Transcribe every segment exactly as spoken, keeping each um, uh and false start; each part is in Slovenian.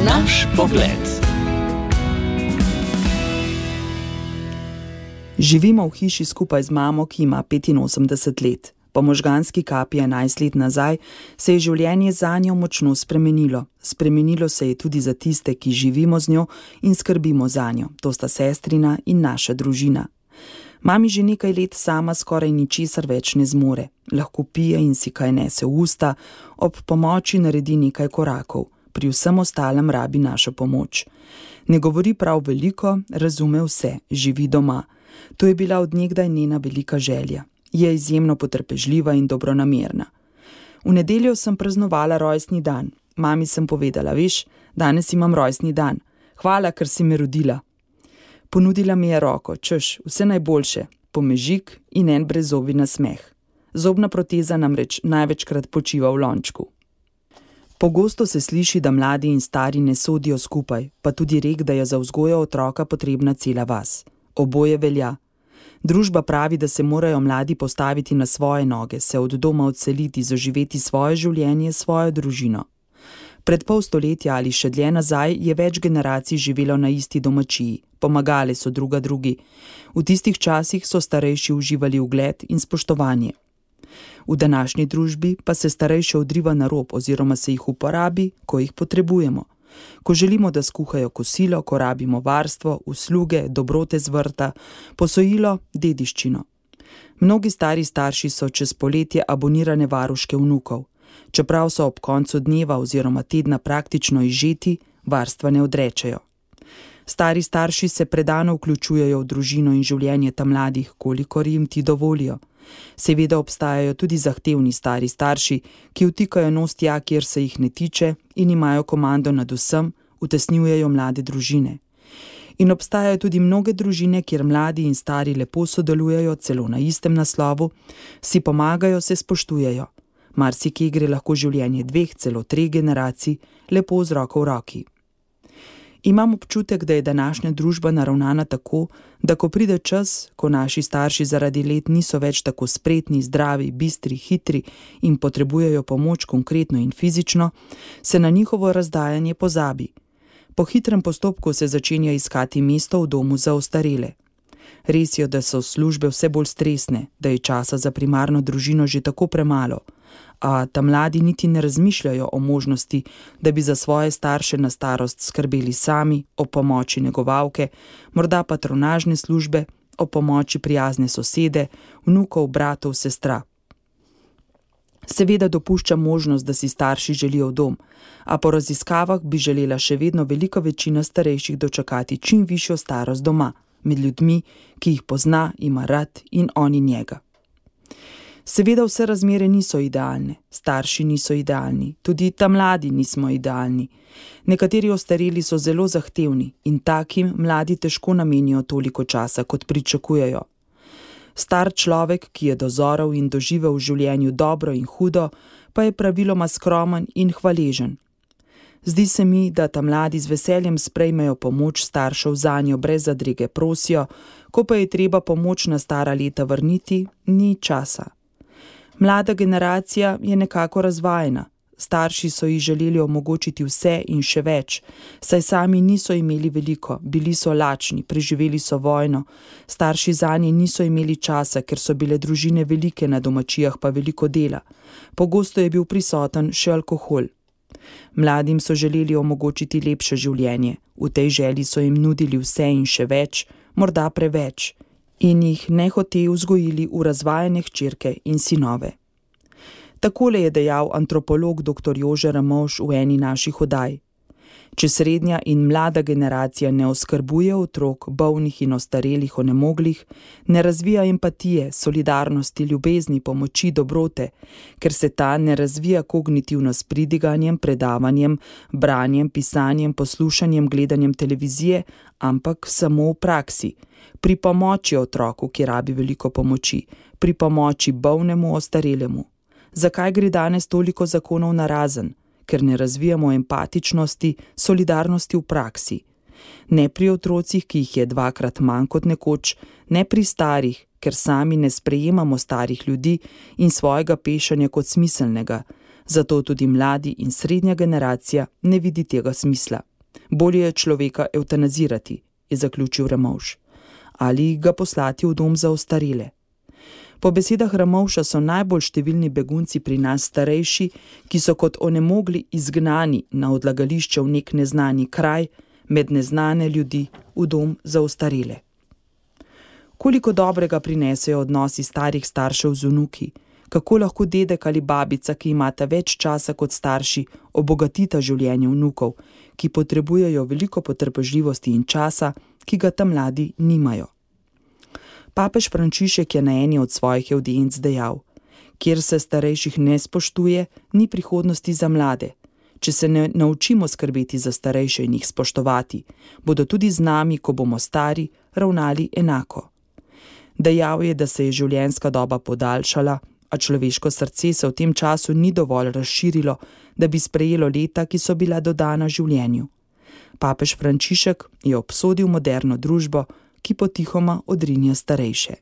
Naš pogled. Živimo v hiši skupaj z mamo, ki ima petinosemdeset let. Po možganski kapi enajst let nazaj se je življenje zanjo močno spremenilo. Spremenilo se je tudi za tiste, ki živimo z njo in skrbimo zanjo. To sta sestrina in naša družina. Mami že nekaj let sama skoraj ničesar več ne zmore. Lahko pije in si kaj nese v usta, ob pomoči naredi nekaj korakov. Pri vsem ostalem rabi našo pomoč. Ne govori prav veliko, razume vse, živi doma. To je bila od nekdaj njena velika želja. Je izjemno potrpežljiva in dobronamerna. V nedeljo sem praznovala rojstni dan. Mami sem povedala, veš, danes imam rojstni dan. Hvala, ker si me rodila. Ponudila mi je roko, češ, vse najboljše, pomežik in en brezzobi nasmeh. Zobna proteza namreč največkrat počiva v lončku. Pogosto se sliši, da mladi in stari ne sodijo skupaj, pa tudi rek, da je za vzgojo otroka potrebna cela vas. Oboje velja. Družba pravi, da se morajo mladi postaviti na svoje noge, se od doma odseliti, zaživeti svoje življenje, svojo družino. Pred pol stoletja ali še dlje nazaj je več generacij živelo na isti domačiji, pomagale so druga drugi. V tistih časih so starejši uživali ugled in spoštovanje. V današnji družbi pa se starejše odriva na rob oziroma se jih uporabi, ko jih potrebujemo. Ko želimo, da skuhajo kosilo, ko rabimo varstvo, usluge, dobrote z vrta, posojilo, dediščino. Mnogi stari starši so čez poletje abonirane varuške vnukov. Čeprav so ob koncu dneva oziroma tedna praktično izžeti, varstva ne odrečejo. Stari starši se predano vključujejo v družino in življenje ta mladih, kolikor jim ti dovolijo. Seveda obstajajo tudi zahtevni stari starši, ki vtikajo nos tja, kjer se jih ne tiče in imajo komando nad vsem, utesnjujejo mlade družine. In obstajajo tudi mnoge družine, kjer mladi in stari lepo sodelujejo, celo na istem naslovu, si pomagajo, se spoštujejo. Marsikje gre lahko življenje dveh, celo treh generacij, lepo z roko v roki. Imam občutek, da je današnja družba naravnana tako, da ko pride čas, ko naši starši zaradi let niso več tako spretni, zdravi, bistri, hitri in potrebujejo pomoč konkretno in fizično, se na njihovo razdajanje pozabi. Po hitrem postopku se začenja iskati mesto v domu za ostarele. Res je, da so službe vse bolj stresne, da je časa za primarno družino že tako premalo, a ta mladi niti ne razmišljajo o možnosti, da bi za svoje starše na starost skrbeli sami, o pomoči negovalke, morda patronažne službe, o pomoči prijazne sosede, vnukov, bratov, sestra. Seveda dopušča možnost, da si starši želijo dom, a po raziskavah bi želela še vedno velika večina starejših dočakati čim višjo starost doma, med ljudmi, ki jih pozna, ima rad in oni njega. Seveda vse razmere niso idealne, starši niso idealni, tudi ta mladi nismo idealni. Nekateri ostareli so zelo zahtevni in takim mladi težko namenijo toliko časa, kot pričakujejo. Star človek, ki je dozorel in doživel v življenju dobro in hudo, pa je praviloma skromen in hvaležen. Zdi se mi, da ta mladi z veseljem sprejmejo pomoč staršev zanjo brez zadrege prosijo, ko pa je treba pomoč na stara leta vrniti, ni časa. Mlada generacija je nekako razvajena. Starši so ji želeli omogočiti vse in še več, saj sami niso imeli veliko, bili so lačni, preživeli so vojno. Starši zanje niso imeli časa, ker so bile družine velike, na domačijah pa veliko dela. Pogosto je bil prisoten še alkohol. Mladim so želeli omogočiti lepše življenje. V tej želji so jim nudili vse in še več, morda preveč, in jih nehote vzgojili v razvajene hčerke in sinove. Takole je dejal antropolog doktor Jože Ramovš v eni naših oddaj. Če srednja in mlada generacija ne oskrbuje otrok, bolnih in ostarelih, onemoglih, ne razvija empatije, solidarnosti, ljubezni, pomoči, dobrote, ker se ta ne razvija kognitivno s pridiganjem, predavanjem, branjem, pisanjem, poslušanjem, gledanjem televizije, ampak samo v praksi, pri pomoči otroku, ki rabi veliko pomoči, pri pomoči bolnemu, ostarelemu. Zakaj gre danes toliko zakonov narazen? Ker ne razvijamo empatičnosti, solidarnosti v praksi. Ne pri otrocih, ki jih je dvakrat manj kot nekoč, ne pri starih, ker sami ne sprejemamo starih ljudi in svojega pešanja kot smiselnega, zato tudi mladi in srednja generacija ne vidi tega smisla. Bolje je človeka evtanazirati, je zaključil Ramovš, ali ga poslati v dom za ostarele. Po besedah Ramovša so najbolj številni begunci pri nas starejši, ki so kot onemogli izgnani na odlagališče v nek neznani kraj, med neznane ljudi v dom za ostarele. Koliko dobrega prinesejo odnosi starih staršev z vnuki, kako lahko dedek ali babica, ki imata več časa kot starši, obogatita življenje vnukov, ki potrebujejo veliko potrpežljivosti in časa, ki ga ta mladi nimajo. Papež Frančišek je na eni od svojih avdienc dejal: kjer se starejših ne spoštuje, ni prihodnosti za mlade. Če se ne naučimo skrbeti za starejše in jih spoštovati, bodo tudi z nami, ko bomo stari, ravnali enako. Dejal je, da se je življenjska doba podaljšala, a človeško srce se v tem času ni dovolj razširilo, da bi sprejelo leta, ki so bila dodana življenju. Papež Frančišek je obsodil moderno družbo, ki potihoma odrinja starejše.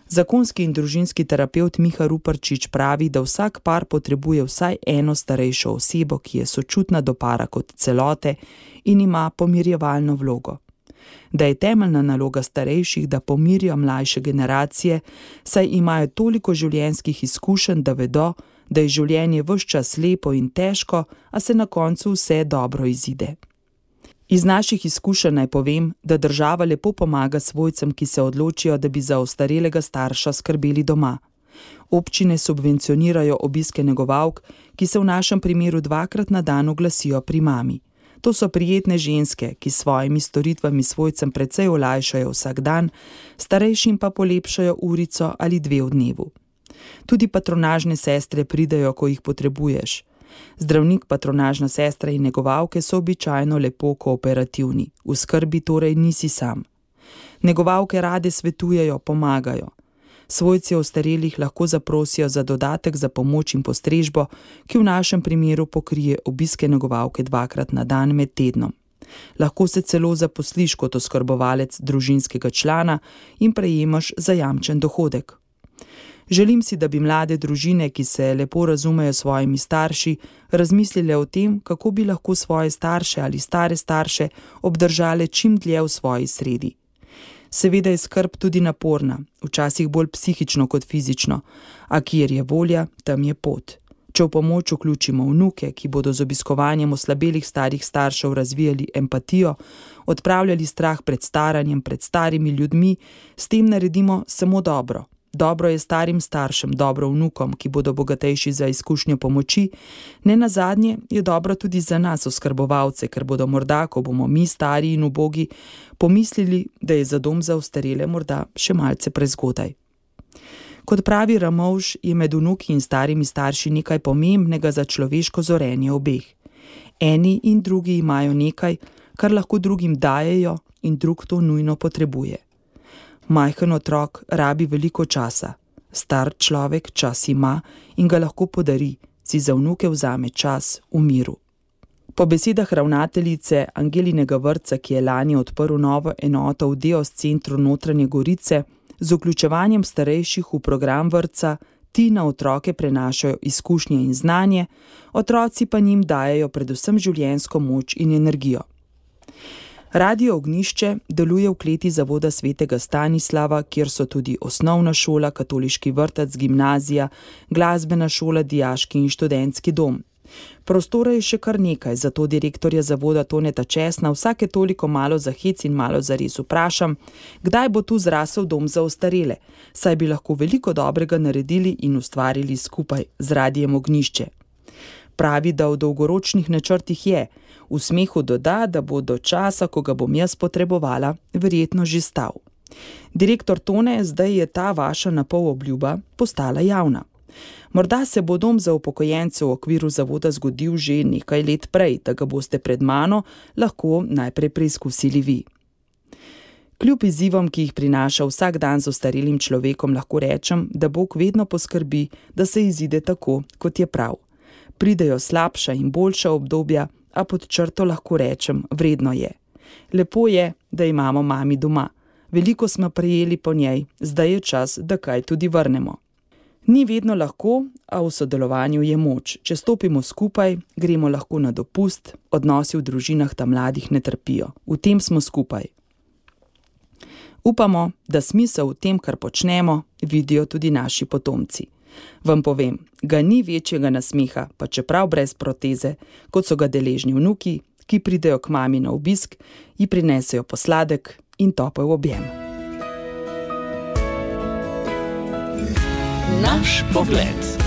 Zakonski in družinski terapevt Miha Ruparčič pravi, da vsak par potrebuje vsaj eno starejšo osebo, ki je sočutna do para kot celote in ima pomirjevalno vlogo. Da je temeljna naloga starejših, da pomirijo mlajše generacije, saj imajo toliko življenjskih izkušenj, da vedo, da je življenje ves čas lepo in težko, a se na koncu vse dobro izide. Iz naših izkušenj naj povem, da država lepo pomaga svojcem, ki se odločijo, da bi za ostarelega starša skrbeli doma. Občine subvencionirajo obiske negovalk, ki se v našem primeru dvakrat na dan oglasijo pri mami. To so prijetne ženske, ki s svojimi storitvami svojcem precej olajšajo vsak dan, starejšim pa polepšajo urico ali dve v dnevu. Tudi patronažne sestre pridejo, ko jih potrebuješ. Zdravnik, patronažna sestra in negovalke so običajno lepo kooperativni, v skrbi torej nisi sam. Negovalke rade svetujejo, pomagajo. Svojci ostarelih lahko zaprosijo za dodatek za pomoč in postrežbo, ki v našem primeru pokrije obiske negovalke dvakrat na dan med tednom. Lahko se celo zaposliš kot oskrbovalec družinskega člana in prejemaš zajamčen dohodek. Želim si, da bi mlade družine, ki se lepo razumejo s svojimi starši, razmislile o tem, kako bi lahko svoje starše ali stare starše obdržale čim dlje v svoji sredi. Seveda je skrb tudi naporna, včasih bolj psihično kot fizično, a kjer je volja, tam je pot. Če v pomoč vključimo vnuke, ki bodo z obiskovanjem oslabelih starih staršev razvijali empatijo, odpravljali strah pred staranjem, pred starimi ljudmi, s tem naredimo samo dobro. Dobro je starim staršem, dobro vnukom, ki bodo bogatejši za izkušnjo pomoči, ne nazadnje je dobro tudi za nas oskrbovalce, ker bodo morda, ko bomo mi stari in ubogi, pomislili, da je za dom za ostarele morda še malce prezgodaj. Kot pravi Ramovš, je med vnuki in starimi starši nekaj pomembnega za človeško zorenje obeh. Eni in drugi imajo nekaj, kar lahko drugim dajejo in drug to nujno potrebuje. Majhen otrok rabi veliko časa, star človek čas ima in ga lahko podari, si za vnuke vzame čas v miru. Po besedah ravnateljice Angelinega vrtca, ki je lani odprl novo enoto v Deos centru Notranje Gorice, z vključevanjem starejših v program vrtca ti na otroke prenašajo izkušnje in znanje, otroci pa njim dajejo predvsem življenjsko moč in energijo. Radio Ognjišče deluje v kleti zavoda Svetega Stanislava, kjer so tudi osnovna šola, katoliški vrtec, gimnazija, glasbena šola, dijaški in študentski dom. Prostora je še kar nekaj, zato direktorja zavoda Toneta Česna vsake toliko malo za hec in malo zares vprašam, kdaj bo tu zrasel dom za ostarele, saj bi lahko veliko dobrega naredili in ustvarili skupaj z Radiem Ognjišče. Pravi, da v dolgoročnih načrtih je, v smehu doda, da bo do časa, ko ga bom jaz potrebovala, verjetno že stal. Direktor Tone, zdaj je ta vaša napol obljuba postala javna. Morda se bo dom za upokojence v okviru zavoda zgodil že nekaj let prej, da ga boste pred mano lahko najprej preizkusili vi. Kljub izzivom, ki jih prinaša vsak dan z ostarelim človekom, lahko rečem, da Bog vedno poskrbi, da se izide tako, kot je prav. Pridejo slabša in boljša obdobja, a pod črto lahko rečem, vredno je. Lepo je, da imamo mami doma. Veliko smo prejeli po njej, zdaj je čas, da kaj tudi vrnemo. Ni vedno lahko, a v sodelovanju je moč. Če stopimo skupaj, gremo lahko na dopust, odnosi v družinah ta mladih ne trpijo. V tem smo skupaj. Upamo, da smisel v tem, kar počnemo, vidijo tudi naši potomci. Vam povem, ga ni večjega nasmeha, pa čeprav brez proteze, kot so ga deležni vnuki, ki pridejo k mami na obisk, ji prinesejo posladek in topel objem. Naš pogled.